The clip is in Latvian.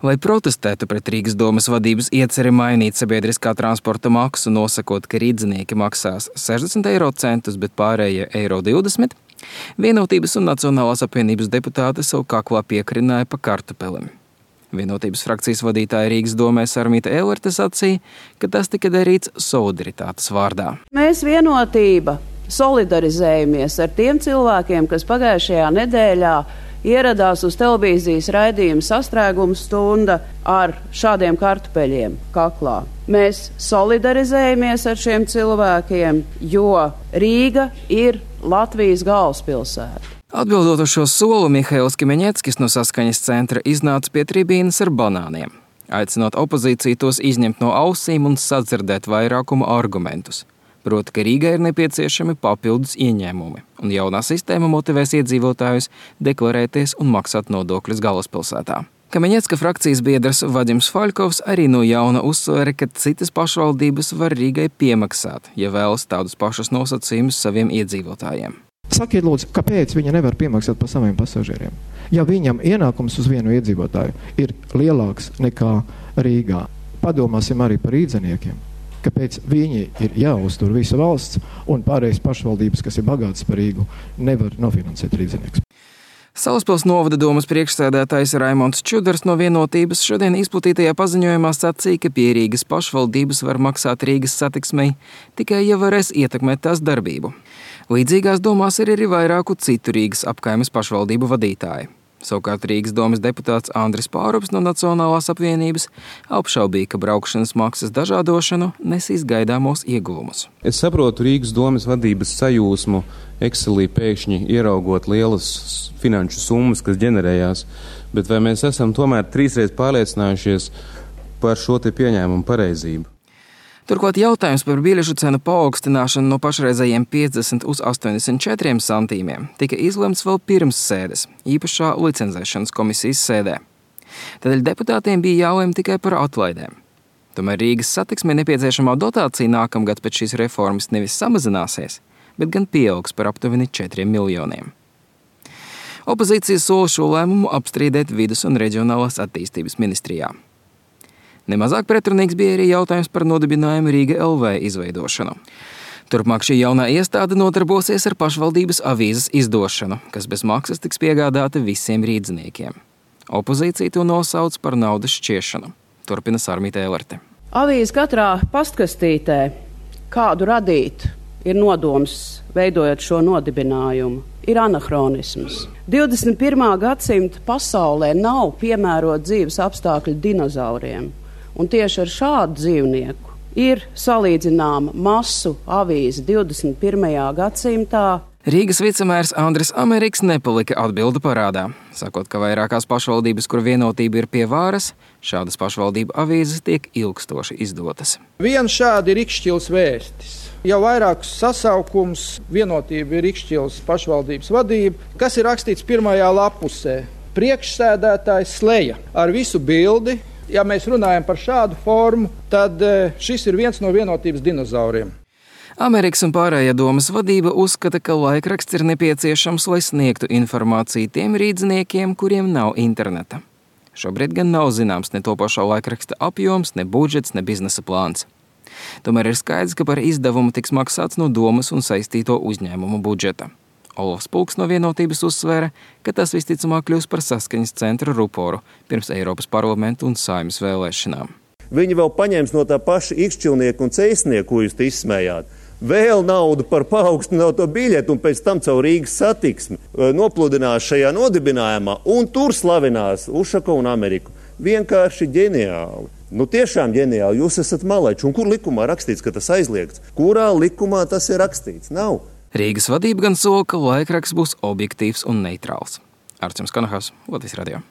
Lai protestētu pret Rīgas domas vadības ieceri mainīt sabiedriskā transporta maksu, nosakot, ka rīdzinieki maksās 60 eiro centus, bet pārējie eiro 20, Vienotības un Nacionālās apvienības deputāti savu kaklā piekrināja pa kartupelim. Vienotības frakcijas vadītāja Rīgas domē Sarmīta Ellerte sacīja, ka tas tika darīts solidaritātes vārdā. Mēs Vienotība solidarizējamies ar tiem cilvēkiem, kas pagājušajā nedēļā ieradās uz televīzijas raidījuma Sastrēguma stunda ar šādiem kartupeļiem kaklā. Mēs solidarizējamies ar šiem cilvēkiem, jo Rīga ir Latvijas galvaspilsēta. Atbildot uz šo soli, Mihails Kimeņeckis no Saskaņas centra iznāca pie tribīnes ar banāniem, aicinot opozīciju tos izņemt no ausīm un sadzirdēt vairākuma argumentus. Proti, ka Rīgai ir nepieciešami papildus ieņēmumi, un jaunā sistēma motivēs iedzīvotājus deklarēties un maksāt nodokļus galvaspilsētā. Kameņecka frakcijas biedrs Vadims Faļkovs arī no jauna uzsvēra, ka citas pašvaldības var Rīgai piemaksāt, ja vēlas tādus pašus nosacījumus saviem iedzīvotājiem. Sakiet, lūdzu, kāpēc viņa nevar piemaksāt par saviem pasažieriem? Ja viņam ienākums uz vienu iedzīvotāju ir lielāks nekā Rīgā, padomāsim arī par rīdziniekiem. Kāpēc viņi ir jāuztur visa valsts un pārējais pašvaldības, kas ir bagātas par Rīgu, nevar nofinansēt rīdzinieks. Salaspils novada domas priekšsēdētājs Raimonds Čudars no Vienotības šodien izplatītajā paziņojumā sacīja, ka pie Rīgas pašvaldības var maksāt Rīgas satiksmei, tikai ja varēs ietekmēt tās darbību. Līdzīgās domās ir arī vairāku citu Rīgas apkaimes pašvaldību vadītāji. Savukārt Rīgas domas deputāts Andris Pārups no Nacionālās apvienības apšaubīja, ka braukšanas maksas dažādošanu nesīs gaidāmos ieguvumus. Es saprotu Rīgas domas vadības sajūsmu Excelī pēkšņi ieraugot lielas finanšu summas, kas ģenerējās, bet vai mēs esam tomēr 3 pārliecinājušies par šo te pieņēmumu pareizību? Turklāt jautājums par biļešu cenu paaugstināšanu no pašreizējiem 50 uz 84 centīmiem tika izlemts vēl pirms sēdes, īpašā licencēšanas komisijas sēdē. Tādēļ deputātiem bija jālem tikai par atlaidēm. Tomēr Rīgas satiksmei nepieciešamā dotācija nākamgad pēc šīs reformas nevis samazināsies, bet gan pieaugs par aptuveni 4 miljoniem. Opozīcija sola šo lēmumu apstrīdēt Vides un reģionālās attīstības ministrijā. Nemazāk pretrunīgs bija arī jautājums par nodibinājumu Rīga LV izveidošanu. Turpmāk šī jaunā iestāde nodarbosies ar pašvaldības avīzes izdošanu, kas bez maksas tiks piegādāta visiem rīdziniekiem. Opozīcija to nosauc par naudas šķiešanu. Turpina Sarmīta Ellerte. Avīze katrā pastkastītē, kādu radīt, ir nodoms, veidojot šo nodibinājumu, ir anahronisms. 21. gadsimta pasaulē nav piemērot dzīves apstākļu dinozauriem. Un tieši ar šādu dzīvnieku ir salīdzināma masu avīze 21. gadsimtā. Rīgas vicemērs Andris Ameriks nepalika atbildu parādā, sakot, ka vairākās pašvaldības, kur Vienotība ir pie vāras, šādas pašvaldību avīzes tiek ilgstoši izdotas. Viens šādi ir Rikšķils vēstis. Jau vairākus sasaukums Vienotība ir Rikšķils pašvaldības vadība, kas ir rakstīts pirmajā lapusē. Priekšsēdētājs Sleja ar visu bildi. Ja mēs runājam par šādu formu, tad šis ir viens no Vienotības dinozauriem. Amerikas un pārējā domas vadība uzskata, ka laikraksts ir nepieciešams, lai sniegtu informāciju tiem rīdziniekiem, kuriem nav interneta. Šobrīd gan nav zināms ne topošā laikraksta apjoms, ne budžets, ne biznesa plāns. Tomēr ir skaidrs, ka par izdevumu tiks maksāts no domas un saistīto uzņēmumu budžeta. Olofs Pulks no Vienotības uzsvēra, ka tas visticamāk kļūs par Saskaņas centra ruporu pirms Eiropas parlamentu un Saeimas vēlēšanām. Viņi vēl paņems no tā paša ikšķilnieku un ceisnieku, ko jūs izsmējāt, vēl naudu par paaugstināto biļetu un pēc tam caur Rīgas satiksmi nopludinās šajā nodibinājumā un tur slavinās Ušakovu un Ameriku. Vienkārši ģeniāli. Tiešām ģeniāli. Jūs esat malēči. Un kur likumā rakstīts, ka tas aizliegts? Kurā likumā tas ir rakstīts? Nav. Rīgas vadība gan sola, ka laikraksts būs objektīvs un neitrāls. Arcims Kanahas, Latvijas radio.